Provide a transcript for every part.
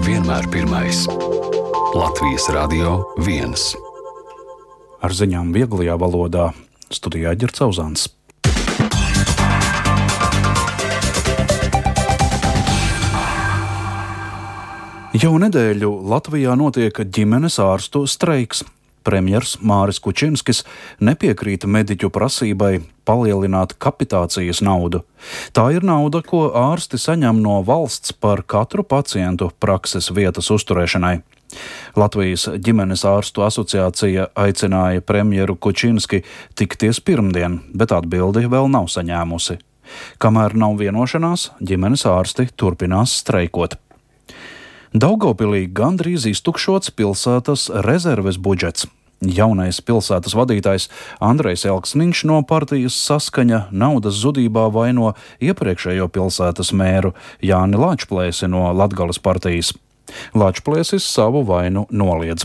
Vienmēr pirmais. Latvijas Radio 1. Ar ziņām vieglajā valodā studijā Ģerts Auzāns. Jau nedēļu Latvijā notiek ģimenes ārstu streiks. Premjers Māris Kučinskis nepiekrīt mediķu prasībai palielināt kapitācijas naudu. Tā ir nauda, ko ārsti saņem no valsts par katru pacientu prakses vietas uzturēšanai. Latvijas ģimenes ārstu asociācija aicināja premjeru Kučinski tikties pirmdien, bet atbildi vēl nav saņēmusi. Kamēr nav vienošanās, ģimenes ārsti turpinās streikot. Daugavpilī gandrīz iztukšots pilsētas rezerves budžets. Jaunais pilsētas vadītājs Andrejs Elksniņš no partijas Saskaņa naudas zudībā vaino iepriekšējo pilsētas mēru Jāni Lāčplēsi no Latgales partijas. Lāčplēsis savu vainu noliedz.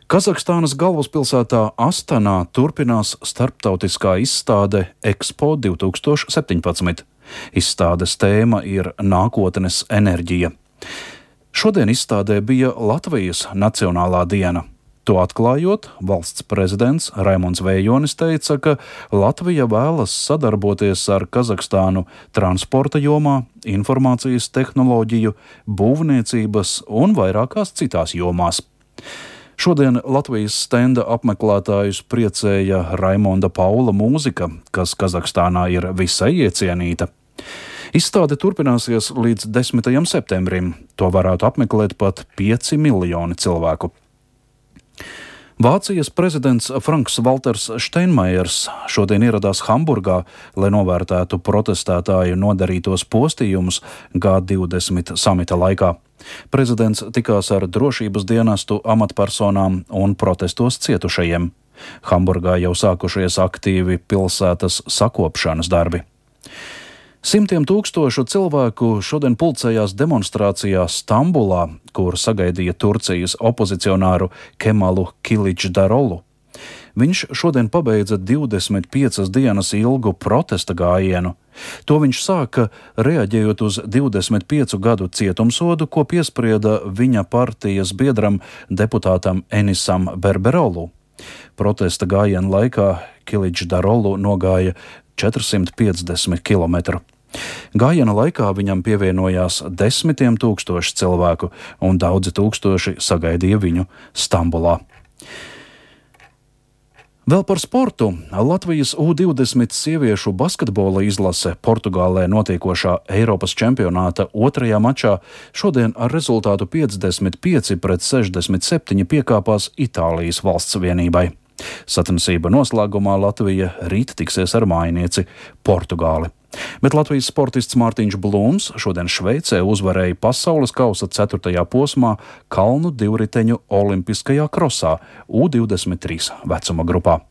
Kazahstānas galvaspilsētā Astanā turpinās starptautiskā izstāde Expo 2017. Izstādes tēma ir nākotnes enerģija. Šodien izstādē bija Latvijas Nacionālā diena. To atklājot, valsts prezidents Raimonds Vējonis teica, ka Latvija vēlas sadarboties ar Kazahstānu transporta jomā, informācijas tehnoloģiju, būvniecības un vairākās citās jomās. Šodien Latvijas stenda apmeklētājus priecēja Raimonda Paula mūzika, kas Kazahstānā ir visai iecienīta. Izstāde turpināsies līdz 10. septembrim. To varētu apmeklēt pat 5 miljoni cilvēku. Vācijas prezidents Franks Valters Steinmeiers šodien ieradās Hamburgā, lai novērtētu protestētāju nodarītos postījumus G20 samita laikā. Prezidents tikās ar drošības dienestu amatpersonām un protestos cietušajiem. Hamburgā jau sākušies aktīvi pilsētas sakopšanas darbi. Simtiem tūkstošu cilvēku šodien pulcējās demonstrācijā Stambulā, kur sagaidīja Turcijas opozicionāru Kemalu Kiličdarolu. Viņš šodien pabeidza 25 dienas ilgu protesta gājienu. To viņš sāka reaģējot uz 25 gadu cietumsodu, ko piesprieda viņa partijas biedram deputātam Enisam Berberolu. Protesta gājiena laikā Kiličdarolu nogāja 450 km. Gājiena laikā viņam pievienojās 10 tūkstoši cilvēku, un daudzi tūkstoši sagaidīja viņu Stambulā. Vēl par sportu. Latvijas U20 sieviešu basketbola izlase Portugālē notiekošā Eiropas čempionāta otrajā mačā šodien ar rezultātu 55-67 piekāpās Itālijas valsts vienībai. Sacensība noslēgumā Latvija rīt tiksies ar mājinieci Portugāli. Bet Latvijas sportists Mārtiņš Blūms šodien Šveicē uzvarēja pasaules kausa 4. posmā kalnu divriteņu olimpiskajā krosā U23 vecuma grupā.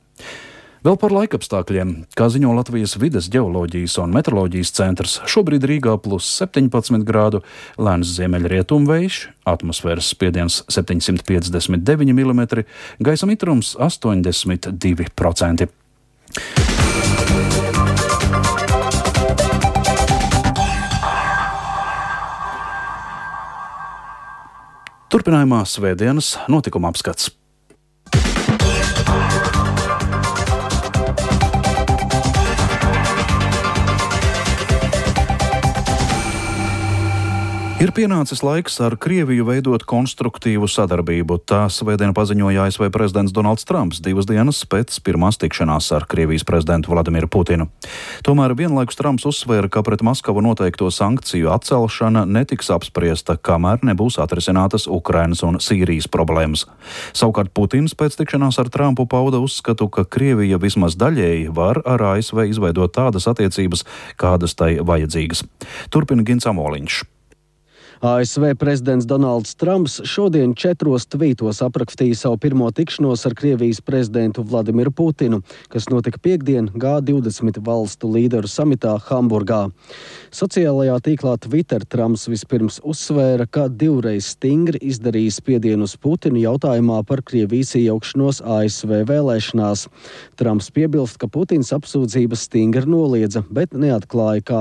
Vēl par laikapstākļiem. Kā ziņo Latvijas vides ģeoloģijas un meteoroloģijas centrs, šobrīd Rīgā +17 grādu, lēns ziemeļrietumvējš, atmosfēras spiediens 759 mm, gaisa mitrums 82%. Turpinājumā svētdienas notikuma apskats. Ir pienācis laiks ar Krieviju veidot konstruktīvu sadarbību. Tā svētdien paziņoja ASV prezidents Donalds Trumps 2 dienas pēc pirmās tikšanās ar Krievijas prezidentu Vladimiru Putinu. Tomēr vienlaikus Trumps uzsvēra, ka pret Maskavu noteikto sankciju atcelšana netiks apspriesta, kamēr nebūs atrisinātas Ukrainas un Sīrijas problēmas. Savukārt Putins pēc tikšanās ar Trumpu pauda uzskatu, ka Krievija vismaz daļēji var ar ASV izveidot tādas attiecības, kādas tai vajadzīgas. Turpina Gins Amoliņš. ASV prezidents Donalds Trumps šodien 4 tvītos aprakstīja savu pirmo tikšanos ar Krievijas prezidentu Vladimiru Putinu, kas notika piektdien G20 valstu līderu samitā Hamburgā. Sociālajā tīklā Twitter Trumps vispirms uzsvēra, ka divreiz stingri izdarījis spiedienu uz Putinu jautājumā par Krievijas iejaukšanos ASV vēlēšanās. Trumps piebilst, ka Putins apsūdzības stingri noliedza, bet neatklāja, kā